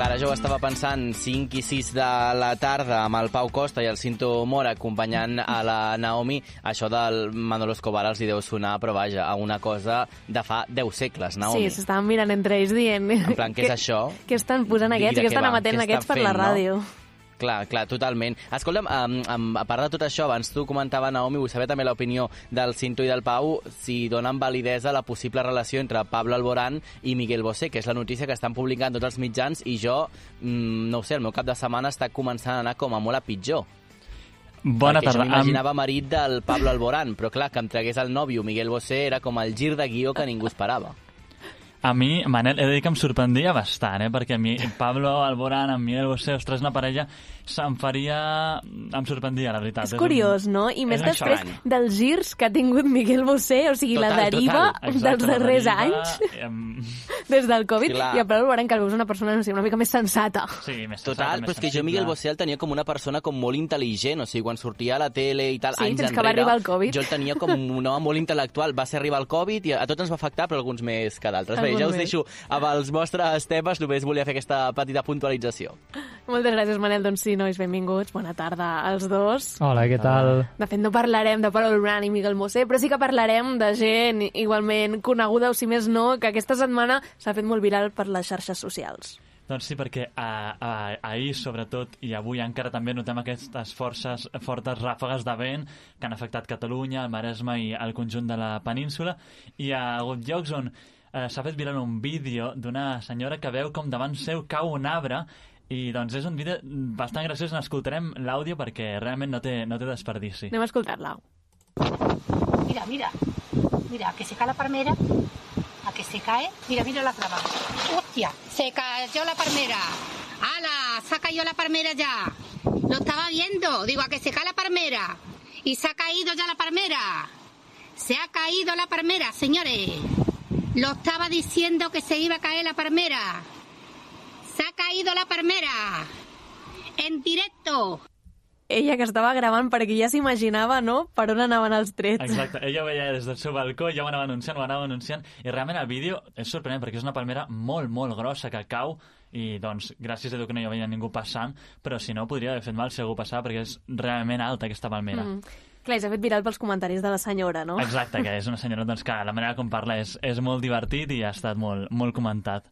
clar, jo ho estava pensant 5 i 6 de la tarda amb el Pau Costa i el Cinto Mora acompanyant a la Naomi, això del Manolo Escobar els hi deu sonar, però vaja, a una cosa de fa 10 segles, Naomi. Sí, s'estaven mirant entre ells dient... En plan, què és això? Què estan posant aquests? Què estan emetent aquests per la ràdio? No? Clar, totalment. Escolta'm, a part de tot això, abans tu comentava, Naomi, vull saber també l'opinió del Cinto i del Pau, si donen validesa a la possible relació entre Pablo Alborán i Miguel Bosé, que és la notícia que estan publicant tots els mitjans, i jo, no ho sé, el meu cap de setmana està començant a anar com a molt a pitjor. Bona perquè tarda. Jo m'imaginava marit del Pablo Alborán, però clar, que em tragués el nòvio Miguel Bosé era com el gir de guió que ningú esperava. A mi, Manel, he de dir que em sorprendria bastant, perquè a mi Pablo Alborán amb Miguel Bosé, ostres, una parella, em sorprendria, la veritat. És curiós, no? I més després dels girs que ha tingut Miguel Bosé, o sigui, la deriva dels darrers anys, des del Covid, i a Pablo Alborán, que el veus una persona, no sé, una mica més sensata. Sí, més total, però és que jo Miguel Bosé el tenia com una persona com molt intel·ligent, o sigui, quan sortia a la tele i tal, anys enrere, que va arribar el Covid. Jo el tenia com un home molt intel·lectual. Va ser arribar el Covid i a tots ens va afectar, però alguns més que d'altres. Bé, ja us deixo amb els vostres temes, només volia fer aquesta petita puntualització. Moltes gràcies, Manel. Doncs sí, nois, benvinguts. Bona tarda als dos. Hola, què tal? De fet, no parlarem de Pablo Alborán i Miguel Bosé, però sí que parlarem de gent igualment coneguda, o si més no, que aquesta setmana s'ha fet molt viral per les xarxes socials. Doncs sí, perquè ahir, sobretot, i avui encara també notem aquestes fortes ràfegues de vent que han afectat Catalunya, el Maresme i el conjunt de la península, i hi ha hagut llocs on s'ha fet viral un vídeo d'una senyora que veu com davant seu cau un arbre, i doncs és un vídeo bastant graciós. N'escoltarem l'àudio perquè realment no té desperdici. Anem a escoltar-la. Mira, que se cae la palmera, a que se cae, mira la traba. ¡Hostia! Se cayó la palmera. ¡Hala! Se ha caído la palmera ya. Lo estaba viendo. Digo, a que se cae la palmera. Y se ha caído ya la palmera. Se ha caído la palmera, señores. Lo estaba diciendo que se iba a caer la palmera. Se ha caído la palmera. En directo. Ella que estava gravant perquè ja s'imaginava, no?, per on anaven els trets. Exacte, ella ho veia des del seu balcó, ja ho anava anunciant, i realment el vídeo és sorprenent perquè és una palmera molt, molt grossa que cau, i doncs gràcies a Déu que no hi veia ningú passant, però si no podria haver fet mal si algú passava perquè és realment alta aquesta palmera. Clar, s'ha fet viral pels comentaris de la senyora, no? Exacte, que és una senyora doncs, que la manera com parla és molt divertit i ha estat molt, molt comentat.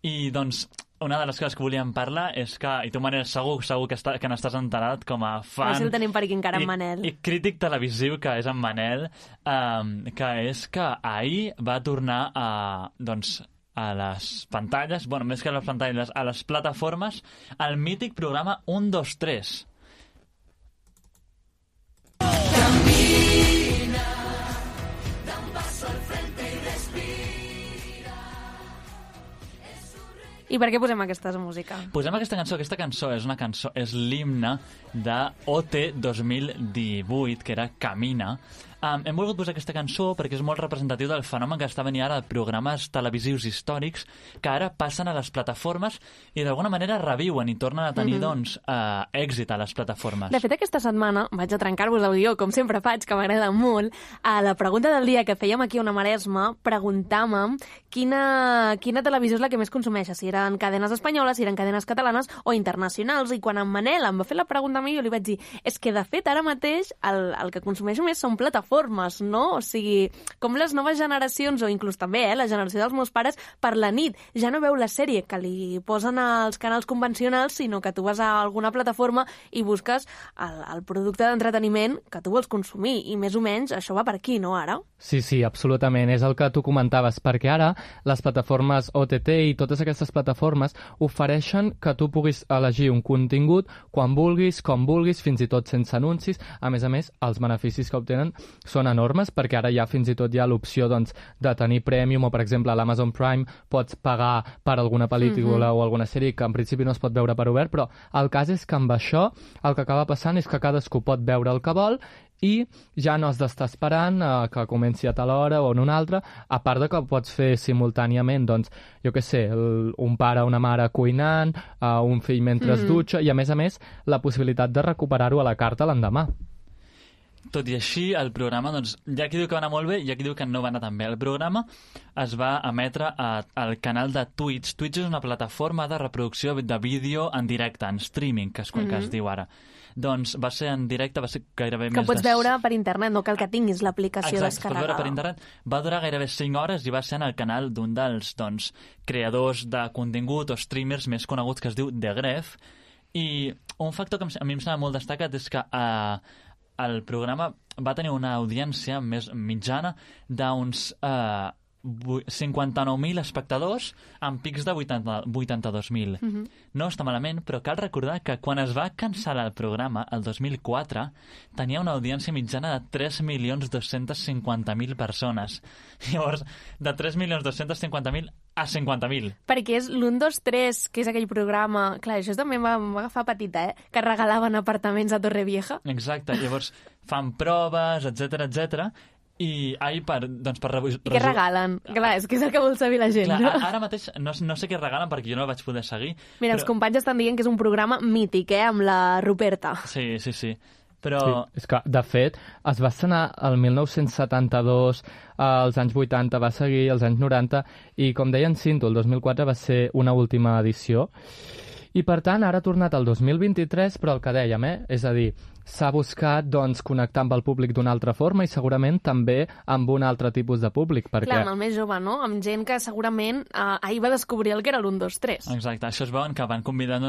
I doncs una de les coses que volíem parlar és que, i tu, Manel, segur que n'estàs enterat com a fan... No sé si el tenim per aquí encara, en Manel. I crític televisiu que és en Manel, que és que ahir va tornar a les pantalles, bueno, més que a les pantalles, a les plataformes, el mític programa 1, 2, 3. Camina, da un paso al frente y respira. I per què posem aquesta música? Posem aquesta cançó és l'himne de OT 2018, que era Camina. Hem volgut posar aquesta cançó perquè és molt representatiu del fenomen que està venint ara de programes televisius històrics que ara passen a les plataformes i d'alguna manera reviuen i tornen a tenir èxit a les plataformes. De fet, aquesta setmana vaig a trencar-vos el guió, com sempre faig, que m'agrada molt. A la pregunta del dia que fèiem aquí a Ona Maresma, preguntàvem quina televisió és la que més consumeix, si eren cadenes espanyoles, si eren cadenes catalanes o internacionals, i quan en Manel em va fer la pregunta a mi, jo li vaig dir, és que de fet ara mateix el que consumeixo més són plataformes, no? O sigui, com les noves generacions, o inclús també la generació dels meus pares, per la nit ja no veu la sèrie que li posen als canals convencionals, sinó que tu vas a alguna plataforma i busques el producte d'entreteniment que tu vols consumir, i més o menys això va per aquí, no, ara? Sí, absolutament, és el que tu comentaves, perquè ara les plataformes OTT i totes aquestes plataformes ofereixen que tu puguis elegir un contingut quan vulguis, com vulguis, fins i tot sense anuncis. A més, els beneficis que obtenen són enormes, perquè ara ja fins i tot hi ha l'opció de tenir Premium, o per exemple a l'Amazon Prime pots pagar per alguna pel·lícula o alguna sèrie que en principi no es pot veure per obert, però el cas és que amb això el que acaba passant és que cadascú pot veure el que vol i ja no has d'estar esperant que comenci a tal hora o en una altra, a part de que ho pots fer simultàniament, doncs, jo què sé, un pare o una mare cuinant, un fill mentre es dutxa, i a més la possibilitat de recuperar-ho a la carta l'endemà. tot i així, el programa, doncs, hi ha qui diu que va anar molt bé i hi ha qui diu que no va anar tan bé. El programa es va emetre al canal de Twitch. Twitch és una plataforma de reproducció de vídeo en directe, en streaming, que es diu ara. Doncs va ser en directe, va ser gairebé que més pots veure per internet, no cal que tinguis l'aplicació descarregada. Exacte, pots veure per internet. Va durar gairebé 5 hores i va ser en el canal d'un dels creadors de contingut o streamers més coneguts que es diu The Gref. I un factor que a mi em sembla molt destacat és que el programa va tenir una audiència més mitjana d'uns 59.000 espectadors amb pics de 82.000. No està malament, però cal recordar que quan es va cancel·lar el programa, el 2004, tenia una audiència mitjana de 3.250.000 persones. Llavors, de 3.250.000 a 50.000. Perquè és l'1, 2, 3, que és aquell programa... Clar, això també em va agafar petita, que regalaven apartaments a Torrevieja. Exacte, llavors fan proves, etc. I per I què regalen? Clar, és que és el que vol saber la gent. Clar, no? ara mateix no sé què regalen perquè jo no el vaig poder seguir. Mira, els companys estan dient que és un programa mític, amb la Ruperta. Sí. Però... Sí, és que, de fet, es va estrenar el 1972, als anys 80 va seguir, als anys 90, i com deia en Cinto, el 2004 va ser una última edició. I, per tant, ara ha tornat el 2023, però el que dèiem, és a dir, s'ha buscat connectar amb el públic d'una altra forma i segurament també amb un altre tipus de públic. Perquè... Clar, amb el més jove, no? Amb gent que segurament ahir va descobrir el que era l'1, 2, 3. Exacte, això es veuen que van convidar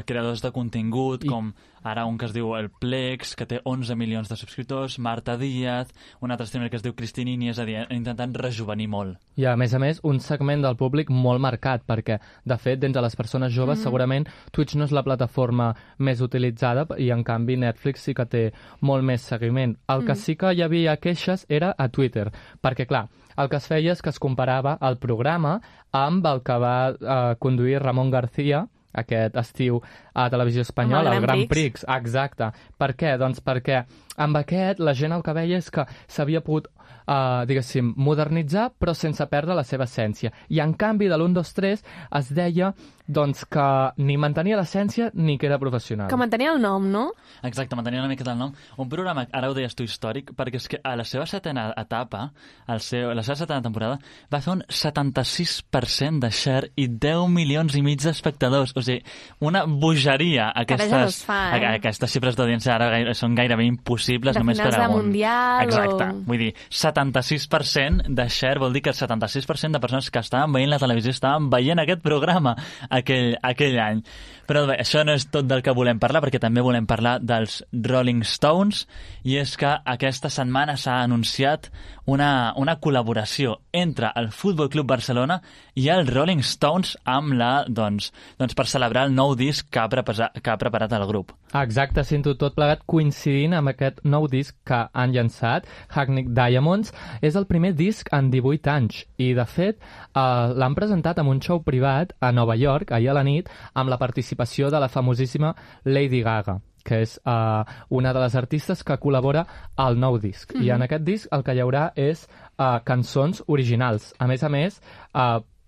creadors de contingut, com ara un que es diu el Plex, que té 11 milions de subscriptors, Marta Díaz, un altre streamer que es diu Cristinini, és a dir, intentant rejuvenir molt. I a més, un segment del públic molt marcat, perquè, de fet, d'entre les persones joves, segurament Twitch no és la plataforma més utilitzada i, en canvi, Netflix sí que té molt més seguiment. El que sí que hi havia queixes era a Twitter, perquè, clar, el que es feia és que es comparava el programa amb el que va conduir Ramon García aquest estiu a Televisió Espanyola, el Grand Prix. Exacte. Per què? Doncs perquè amb aquest la gent el que veia és que s'havia pogut, diguéssim, modernitzar però sense perdre la seva essència. I en canvi de l'1, 2, 3 es deia doncs que ni mantenia l'essència ni que era professional. Que mantenia el nom, no? Exacte, mantenia una miqueta el nom. Un programa, ara ho deies tu, històric, perquè és que a la seva setena etapa, la seva setena temporada, va fer un 76% de share i 10 milions i mig d'espectadors. O sigui, una bogeria. Aquestes xifres d'audiència ara són gairebé impossibles de només per a un. Mundial. Exacte. Vull dir, 76% de share vol dir que el 76% de persones que estaven veient la televisió estaven veient aquest programa aquell any. Però bé, això no és tot del que volem parlar, perquè també volem parlar dels Rolling Stones, i és que aquesta setmana s'ha anunciat una col·laboració entre el Futbol Club Barcelona i els Rolling Stones amb per celebrar el nou disc que ha preparat el grup. Exacte, sento tot plegat coincidint amb aquest nou disc que han llançat, Hackney Diamonds. És el primer disc en 18 anys i, de fet, l'han presentat en un show privat a Nova York, ahir a la nit, amb la participació de la famosíssima Lady Gaga, que és una de les artistes que col·labora al nou disc. I en aquest disc el que hi haurà és cançons originals. A més,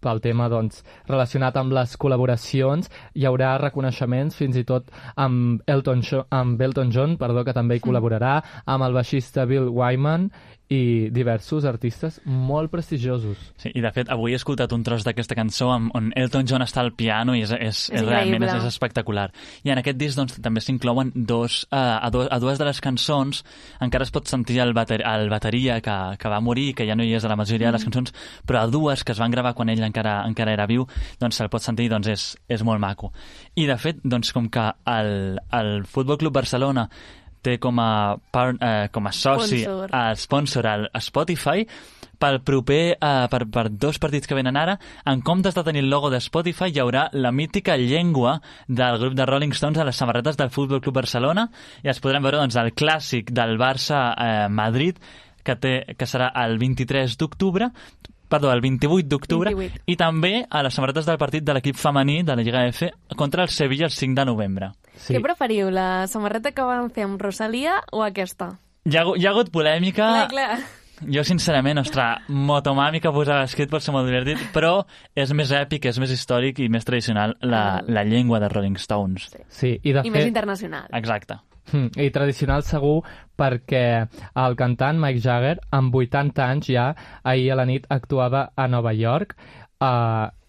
pel tema relacionat amb les col·laboracions, hi haurà reconeixements fins i tot amb Elton John, que també hi col·laborarà, amb el baixista Bill Wyman i diversos artistes molt prestigiosos. Sí, i de fet avui he escoltat un tros d'aquesta cançó on Elton John està al piano i és realment és espectacular. I en aquest disc també s'inclouen a dues de les cançons. Encara es pot sentir el bateria que va morir, que ja no hi és a la majoria de les cançons, però a dues que es van gravar quan ell encara era viu, se'l pot sentir, és molt maco. I de fet, com que el Futbol Club Barcelona té com a soci, sponsor al Spotify, pel proper, per 2 partits que venen ara, en comptes de tenir el logo de Spotify, hi haurà la mítica llengua del grup de Rolling Stones a les samarretes del Futbol Club Barcelona, i es podrem veure el clàssic del Barça-Madrid, que serà el 28 d'octubre, i també a les samarretes del partit de l'equip femení de la Lliga F contra el Sevilla el 5 de novembre. Sí. Què preferiu, la samarreta que van fer amb Rosalia o aquesta? Hi ha hagut polèmica. Clar. Jo, sincerament, Motomami que posava escrit pot ser molt divertit, però és més èpic, és més històric i més tradicional la llengua de Rolling Stones. Sí, i més internacional. Exacte. I tradicional segur perquè el cantant Mick Jagger, amb 80 anys ja, ahir a la nit actuava a Nova York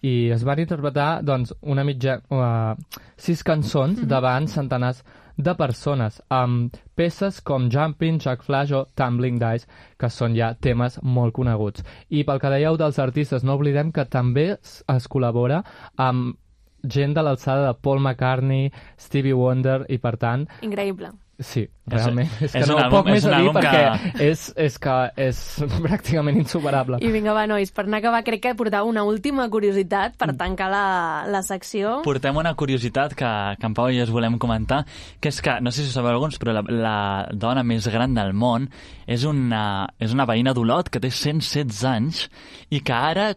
i es van interpretar doncs, 6 cançons davant centenars de persones, amb peces com Jumping, Jack Flash o Tumbling Dice, que són ja temes molt coneguts. I pel que dèieu dels artistes, no oblidem que també es col·labora amb gent de l'alçada de Paul McCartney, Stevie Wonder, i per tant... Increïble. Sí, realment. És que no poc més a dir perquè és que és pràcticament insuperable. I vinga, va, nois, per anar a acabar, crec que portava una última curiositat per tancar la secció. Portem una curiositat que en Pau i jo us volem comentar, que és que, no sé si ho sabeu alguns, però la dona més gran del món és una veïna d'Olot que té 116 anys i que ara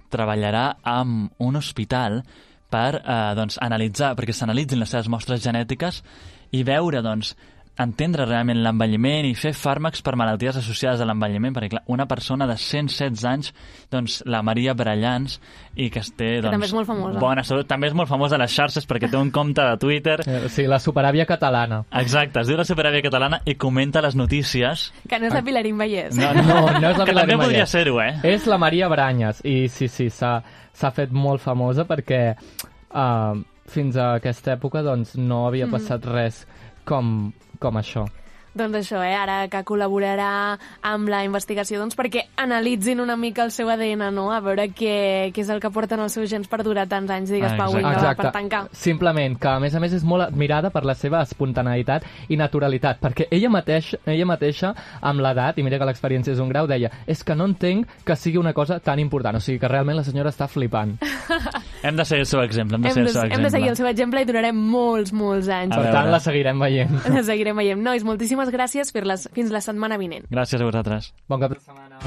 treballarà en un hospital per analitzar, perquè s'analitzin les seves mostres genètiques i veure, entendre realment l'envelliment i fer fàrmacs per malalties associades a l'envelliment, perquè clar, una persona de 116 anys, la Maria Brallans, i que té també és molt famosa. Bona salut, també és molt famosa a les xarxes perquè té un compte de Twitter. Sí, la superàvia catalana. Exacte, es diu la superàvia catalana i comenta les notícies. Que no és la Pilarín Vallès. No és la Pilarín Vallès. Que també podria ser-ho, És la Maria Branyes, i sí, s'ha fet molt famosa perquè fins a aquesta època no havia passat res com això. Doncs això, ara que col·laborarà amb la investigació perquè analitzin una mica el seu ADN, no? A veure què és el que porten els seus gens per durar tants anys, digues, Pau, per tancar. Simplement, que a més és molt admirada per la seva espontaneïtat i naturalitat, perquè ella mateixa, amb l'edat, i mira que l'experiència és un grau, deia, és que no entenc que sigui una cosa tan important, o sigui que realment la senyora està flipant. Hem de seguir el seu exemple, hem de seguir el seu exemple i durarem molts anys. Per tant, la seguirem veient. La seguirem veient. Nois, moltíssimes gràcies. Fins la setmana vinent. Gràcies a vosaltres. Bon cap de setmana.